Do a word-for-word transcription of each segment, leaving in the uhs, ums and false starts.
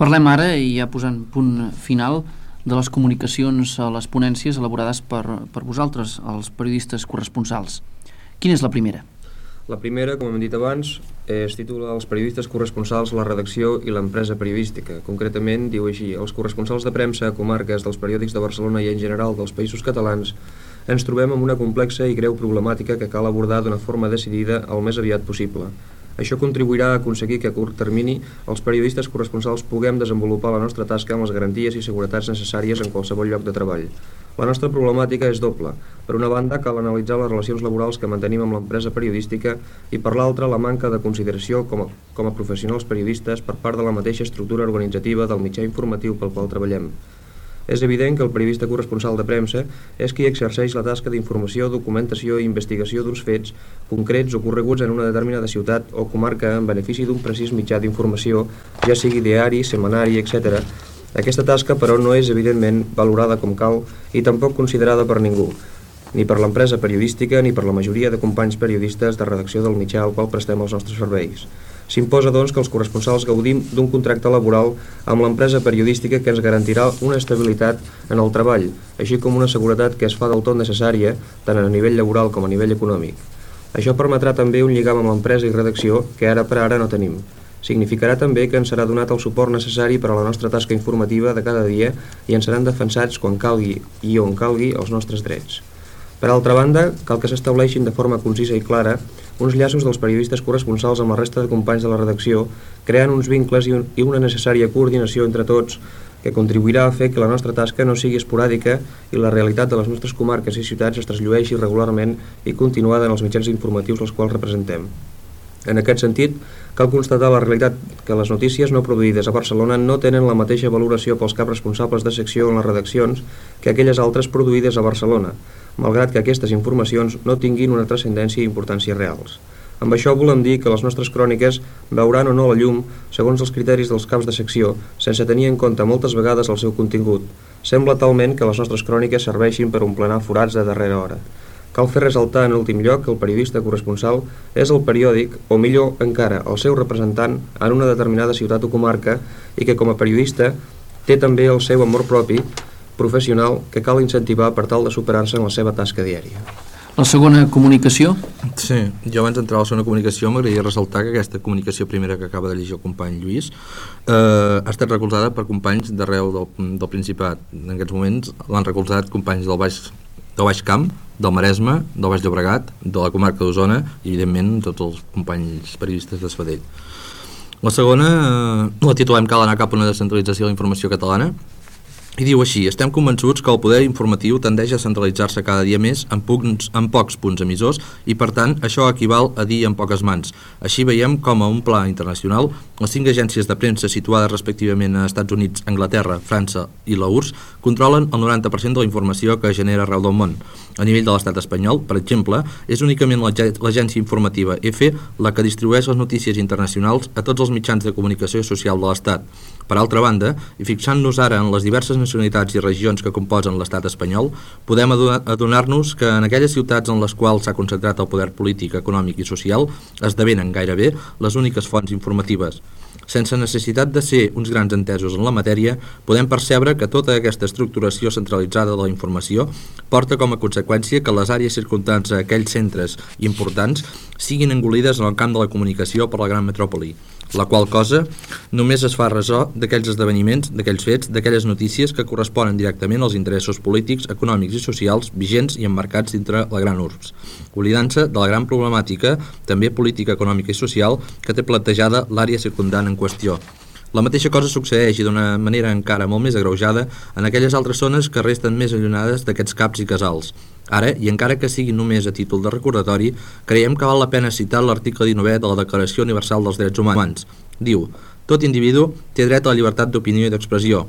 Parlem ara, i ja posant punt final, de les comunicacions a les ponències elaborades per, per vosaltres, els periodistes corresponsals. Quina és la primera? La primera, com hem dit abans, es titula Els periodistes corresponsals, la redacció i l'empresa periodística. Concretament, diu així: els corresponsals de premsa a comarques dels periòdics de Barcelona i en general dels països catalans ens trobem amb una complexa i greu problemàtica que cal abordar d'una forma decidida el més aviat possible. Això contribuirà a aconseguir que a curt termini els periodistes corresponsals puguem desenvolupar la nostra tasca amb les garanties i seguretats necessàries en qualsevol lloc de treball. La nostra problemàtica és doble. Per una banda, cal analitzar les relacions laborals que mantenim amb l'empresa periodística i per l'altra, la manca de consideració com a, com a professionals periodistes per part de la mateixa estructura organitzativa del mitjà informatiu pel qual treballem. És evident que el periodista corresponsal de premsa és qui exerceix la tasca d'informació, documentació i investigació d'uns fets concrets ocorreguts en una determinada ciutat o comarca en benefici d'un precís mitjà d'informació, ja sigui diari, setmanari, etcètera. Aquesta tasca, però, no és evidentment valorada com cal i tampoc considerada per ningú, ni per l'empresa periodística ni per la majoria de companys periodistes de redacció del mitjà al qual prestem els nostres serveis. S'imposa, doncs, que els corresponsals gaudim d'un contracte laboral amb l'empresa periodística que ens garantirà una estabilitat en el treball, així com una seguretat que es fa del tot necessària tant a nivell laboral com a nivell econòmic. Això permetrà també un lligam amb l'empresa i redacció que ara per ara no tenim. Significarà també que ens serà donat el suport necessari per a la nostra tasca informativa de cada dia i ens seran defensats quan calgui i on calgui els nostres drets. Per altra banda, cal que s'estableixin de forma concisa i clara uns llaços dels periodistes corresponsals amb la resta de companys de la redacció, creant uns vincles i, un, i una necessària coordinació entre tots que contribuirà a fer que la nostra tasca no sigui esporàdica i la realitat de les nostres comarques i ciutats es trasllueixi regularment i continuada en els mitjans informatius als quals representem. En aquest sentit, cal constatar la realitat que les notícies no produïdes a Barcelona no tenen la mateixa valoració pels caps responsables de secció en les redaccions que aquelles altres produïdes a Barcelona, malgrat que aquestes informacions no tinguin una transcendència i importància reals. Amb això volem dir que les nostres cròniques veuran o no la llum segons els criteris dels caps de secció, sense tenir en compte moltes vegades el seu contingut. Sembla talment que les nostres cròniques serveixin per omplenar forats de darrera hora. Cal fer ressaltar en últim lloc que el periodista corresponsal és el periòdic, o millor encara, el seu representant en una determinada ciutat o comarca i que com a periodista té també el seu amor propi professional que cal incentivar per tal de superar-se en la seva tasca diària. La segona comunicació? Sí, jo abans d'entrar a la segona comunicació m'agradaria ressaltar que aquesta comunicació primera que acaba de llegir el company Lluís eh, ha estat recolzada per companys d'arreu del, del Principat. En aquests moments l'han recolzat companys del Baix, del Baix Camp, del Maresme, del Baix Llobregat, de la comarca d'Osona i evidentment tots els companys periodistes de Sabadell. La segona eh, la titulem Cal anar cap a una descentralització de la informació catalana. I diu així: estem convençuts que el poder informatiu tendeix a centralitzar-se cada dia més en, punts, en pocs punts emissors i, per tant, això equival a dir en poques mans. Així veiem com a un pla internacional les cinc agències de premsa situades respectivament a Estats Units, Anglaterra, França i la U R S S controlen el noranta per cent de la informació que es genera arreu del món. A nivell de l'estat espanyol, per exemple, és únicament l'agència informativa EFE la que distribueix les notícies internacionals a tots els mitjans de comunicació social de l'estat. Per altra banda, i fixant-nos ara en les diverses nacionalitats i regions que composen l'estat espanyol, podem adonar-nos que en aquelles ciutats en les quals s'ha concentrat el poder polític, econòmic i social esdevenen gairebé les úniques fonts informatives. Sense necessitat de ser uns grans entesos en la matèria, podem percebre que tota aquesta estructuració centralitzada de la informació porta com a conseqüència que les àrees circumdants a aquells centres importants siguin engolides en el camp de la comunicació per la gran metròpoli, la qual cosa només es fa ressò d'aquells esdeveniments, d'aquells fets, d'aquelles notícies que corresponen directament als interessos polítics, econòmics i socials vigents i emmarcats dintre la gran U R S S, oblidant-se de la gran problemàtica, també política, econòmica i social, que té plantejada l'àrea circumdant en qüestió. La mateixa cosa succeeix i d'una manera encara molt més agreujada en aquelles altres zones que resten més allunyades d'aquests caps i casals. Ara, i encara que sigui només a títol de recordatori, creiem que val la pena citar l'article dinou de la Declaració Universal dels Drets Humans. Diu: tot individu té dret a la llibertat d'opinió i d'expressió.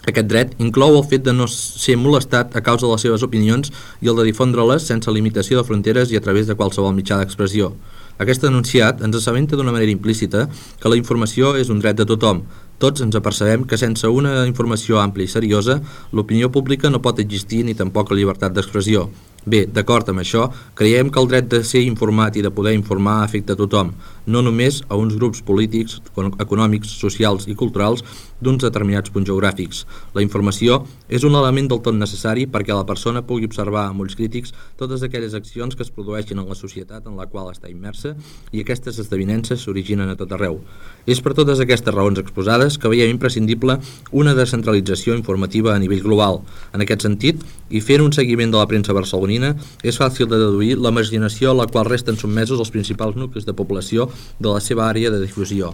Aquest dret inclou el fet de no ser molestat a causa de les seves opinions i el de difondre-les sense limitació de fronteres i a través de qualsevol mitjà d'expressió. Aquest enunciat ens assabenta d'una manera implícita que la informació és un dret de tothom. Tots ens apercebem que sense una informació àmplia i seriosa, l'opinió pública no pot existir ni tampoc la llibertat d'expressió. Bé, d'acord amb això, creiem que el dret de ser informat i de poder informar afecta a tothom. no només a uns grups polítics, econòmics, socials i culturals d'uns determinats punts geogràfics. La informació és un element del tot necessari perquè la persona pugui observar amb ulls crítics totes aquelles accions que es produeixen en la societat en la qual està immersa i aquestes esdevinences s'originen a tot arreu. És per totes aquestes raons exposades que veiem imprescindible una descentralització informativa a nivell global. En aquest sentit, i fent un seguiment de la premsa barcelonina, és fàcil de deduir la marginació a la qual resten sotmesos els principals nuclis de població de la seva àrea de difusió.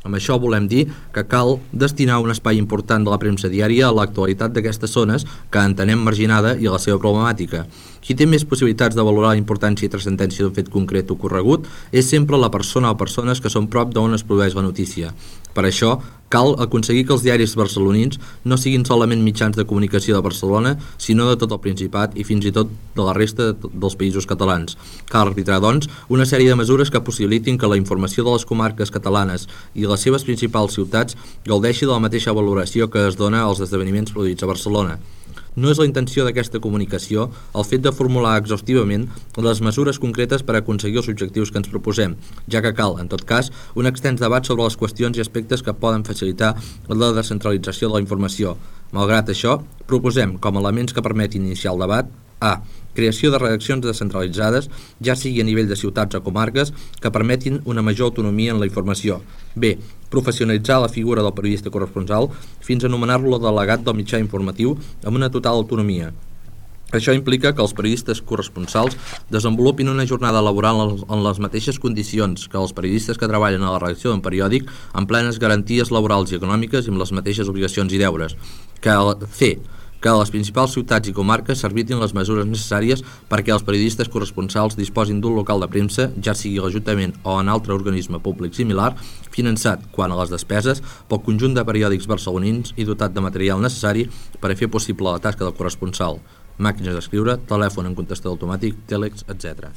Amb això volem dir que cal destinar un espai important de la premsa diària a l'actualitat d'aquestes zones que entenem marginada i a la seva problemàtica. Qui té més possibilitats de valorar la importància i transcendència d'un fet concret o corregut és sempre la persona o persones que són prop d'on es produeix la notícia. Per això, cal aconseguir que els diaris barcelonins no siguin solament mitjans de comunicació de Barcelona, sinó de tot el Principat i fins i tot de la resta dels països catalans. Cal arbitrar, doncs, una sèrie de mesures que possibilitin que la informació de les comarques catalanes i les seves principals ciutats gaudeixi de la mateixa valoració que es dona als esdeveniments produïts a Barcelona. No és la intenció d'aquesta comunicació el fet de formular exhaustivament les mesures concretes per aconseguir els objectius que ens proposem, ja que cal, en tot cas, un extens debat sobre les qüestions i aspectes que poden facilitar la descentralització de la informació. Malgrat això, proposem, com a elements que permetin iniciar el debat, a. Creació de redaccions descentralitzades, ja sigui a nivell de ciutats o comarques, que permetin una major autonomia en la informació. B. Professionalitzar la figura del periodista corresponsal fins a anomenar-lo delegat del mitjà informatiu amb una total autonomia. Això implica que els periodistes corresponsals desenvolupin una jornada laboral en les mateixes condicions que els periodistes que treballen a la redacció d'un periòdic, amb plenes garanties laborals i econòmiques i amb les mateixes obligacions i deures. Que C. Que les principals ciutats i comarques s'arbitin les mesures necessàries perquè els periodistes corresponsals disposin d'un local de premsa, ja sigui a l'Ajuntament o en altre organisme públic similar, finançat, quant a les despeses, pel conjunt de periòdics barcelonins i dotat de material necessari per a fer possible la tasca del corresponsal. Màquines d'escriure, telèfon en contestador automàtic, tèlex, etcètera.